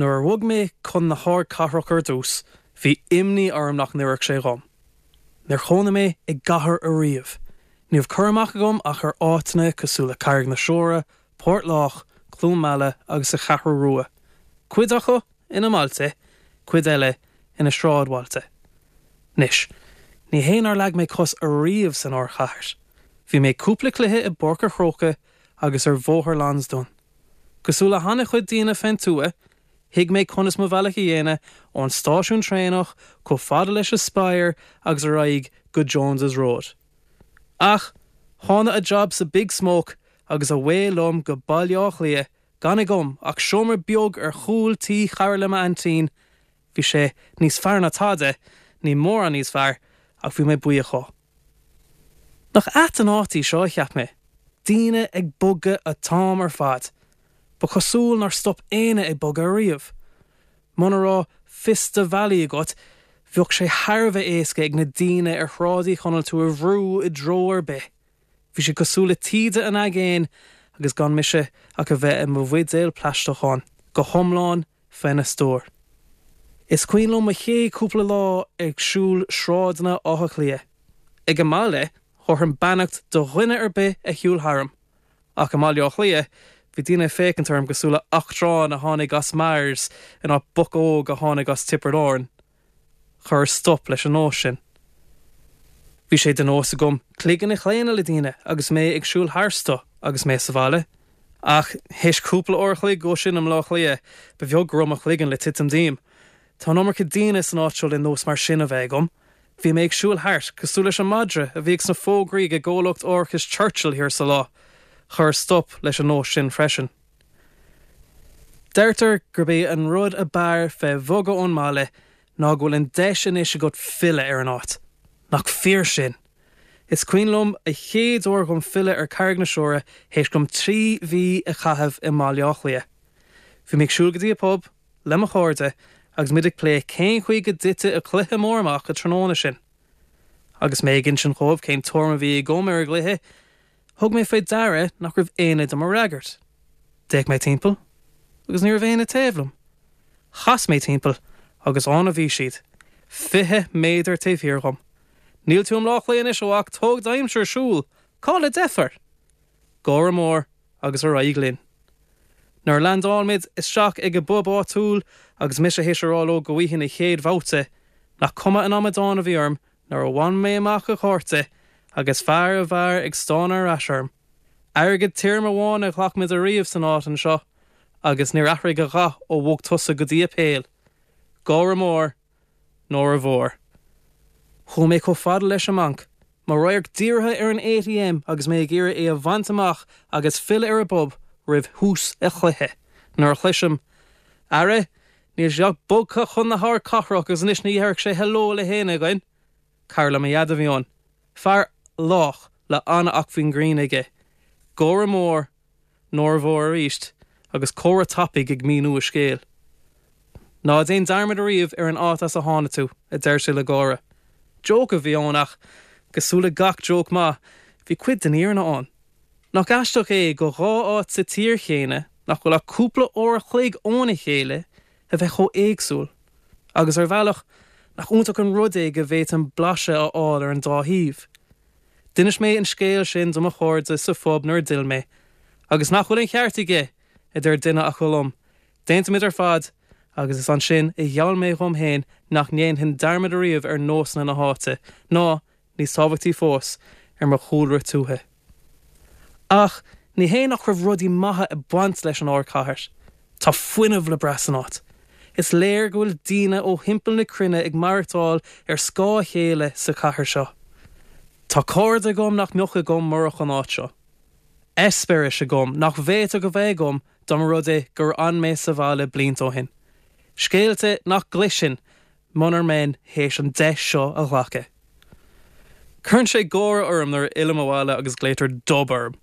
Nuair a bhog mé chun na hardchathrach ar dtús, bhí imní orm nach n-oirfeadh sé dhom. Níor chónaigh mé i gcathair ariamh. Ní raibh cur amach agam ach ar áiteanna cosúil le Carraig na Siúire, Port Lách, Cluain Meala agus an Cheathrú Rua, cuid acu ina mbailte, cuid eile ina sráidbhailte. Anois, ní hé nár leag mé cos ariamh san ardchathair. Bhí mé ag cúpla cluiche i bPáirc a' Chrócaigh agus ar Bhóthar Lansdowne. Cosúil le han-chuid daoine fén tuath, thuig mé conas mo bhealach a dhéanamh ón stáisiún traenach chomh fada leis an Spire agus ar aghaidh go Jones's Road. Ach thána a job sa Big Smoke agus away liom go Baile Átha Cliath gan agam ach seomra beag ar chúl tí chara le m'aintín, bhí sé níos fearr ná tada, ní mórán níos fearr, ach bhí mé buíoch dhó. Nach ait an áit í seo, a cheap mé. Daoine ag bogadh an t-am ar fad. Ba chosúil nár stop éinne ag bogadh ariamh. Muna raibh fios do bhealaí agat, bheadh sé thar a bheith éasca ag na daoine ar Shráid Uí Chonaill tú a bhrú i dtreo ar bith. Bhí sé cosúil le taoide an aigéin agus gan mise ach a bheith i mo bhuidéal plaisteach ann, go hiomlán faoina stiúir. Is cuimhin liom mo chéad chúpla lá ag siúl sráideanna Átha Cliath. Ag an mbaile, thabharfainn beannacht do dhuine ar bith a shiúil tharam. Ach i mBaile Átha Cliath, bhí daoine ag féachaint orm cosúil le eachtrán a tháinig as Mars in áit boc óg a tháinig as Tiobraid Árann. Chuireas stop leis an nós sin. Bhí sé de nós agam cloigeann a chlaonadh le daoine agus mé ag siúl tharstu agus mé sa bhaile. Ach théis cúpla uair a chloig dhó sin i mBleá Cliath, ba bheag go raibh mo chloigeann le titim díom. Tá an iomarca daoine san áit seo le nós mar sin a bheith agam. Bhí mé ag siúl thart cosúil leis an madra a bhíodh sna fógraí ag an gcomhlacht árachais Churchill thiar sa lá. Chuireas stop leis an nós sin freisin. Deirtear gurb é an rud ab fhearr fé bhogadh ón mbaile ná go bhfuil an deis anois agat filleadh ar an áit. Nach fíor sin? Is cuimhin liom a chéad uair dhom filleadh ar Carraig na Siúire théis dom 3 mhí a chaitheamh i mBaile Átha Cliath. Bhí mé ag siúl go dtí an pub le mo chairde agus muid ag plé cén chaoi go dtitfeadh an cluiche mór amach an tráthnóna sin. Agus mé ag insint dhóibh cén tuairim a bhí agam ar an gcluiche, Thug mé fé deara nach raibh éinne do mo fhreagairt. D'fhéach mé timpeall agus ní raibh éinne taobh liom. Chas mé timpeall agus ann a bhí siad, 20 méadar taobh thiar dhom. Níl tú i mBleá Cliath anois, a mhac, tóg d'aimsir, siúl, cá bhfuil an deifir? Gáire mór agus ar aghaidh linn. Nuair a leaindeáil muid isteach ag an bpub áitiúil agus mise théis a rá leo go bhfaighinn an chéad bhabhta, nach cuma an amadán a bhí orm Nuair a bhain mé amach an cárta agus fear an bheáir ag stánadh ar ais orm. Airgead tirim amháin a ghlac muid ariamh san áit anseo agus níor athraigh a dhath ó bhog tusa go dtí an Pale. Gáire mór, náire mhór. Chuaigh mé chomh fada leis an mbanc, mo radharc dírithe ar an ATM agus mé ag iarraidh é a bhaint amach agus filleadh ar an bpub roimh thús an chluiche, nuair a chloisim, Ara, Níl sé ach bogtha chun na hardchathrach agus anois ní dhéarfadh sé hello le héinne againn. Cara le mo dhaid a bhí ann. Fear lách le an-acmhainn grinn aige. Gáire mór, náire mhór arís agus comhrá tapaidh ag míniú a scéil. Ná déan dearmad ariamh ar an áit as a tháinig tú, a deir sé le gáire. Joke a bhí ann ach, cosúil le gach joke maith, bhí cuid den fhírinne ann. Nach aisteach é go dhá áit sa tír chéanna, nach bhfuil ach cúpla uair a chloig óna chéile, a bheith chomh éagsúil? Agus ar bhealach, nach iontach an rud é go bhféadfainn blaiseadh a fháil ar an dá thaobh? D'inis mé an scéal sin do mo chairde sa phub nuair a d'fhill mé. Agus nach bhfuil an ceart aige! a deir duine acu liom. D'aontaigh muid ar fad, agus is ansin a gheall mé dhom féin nach ndéanfainn dearmad ariamh ar nósanna na háite, ná, níos tábhachtaí fós, ar mo chúlra tuaithe. Ach ní hé nach raibh rudaí maithe ag baint leis an ardchathair. Tá fuinneamh le brath san áit. Is léir go bhfuil daoine ó thimpeall na cruinne ag maireachtáil ar scáth a chéile sa chathair seo. Tá cairde agam nach mbeadh agam murach an áit seo. Eispéiris agam nach bhféadfadh a bheith agam dá mba rud é gur fhan mé sa bhaile blianta ó shin. Scéalta nach gcloisfinn munar mbeinn théis an deis seo a ghlacadh. Cuireann sé gáire orm nuair a fhillim abhaile agus glaotar Dub orm.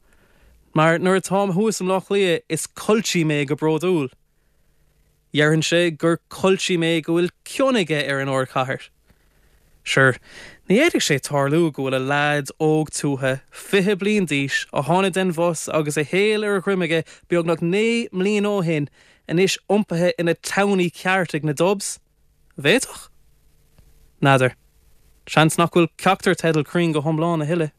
Mar nuair atáim thuas i mBleá Cliath is culchie mé go bródúil. Déarfainnse gur culchie mé go bhfuil cion aige ar an ardchathair. Sure, ní fhéadfadh sé tarlú go bhfuil a leaid óg tuaithe, 20 bliain d'aois, a tháinig den bhus agus a shaol ar a dhroim aige beagnach 9 mbliana ó shin. anois iompaithe ina townie ceart ag na Dubs? Bhféadfadh? N'fheadar. Seans nach bhfuil ceachtar teideal cruinn go hiomlán a thuilleadh.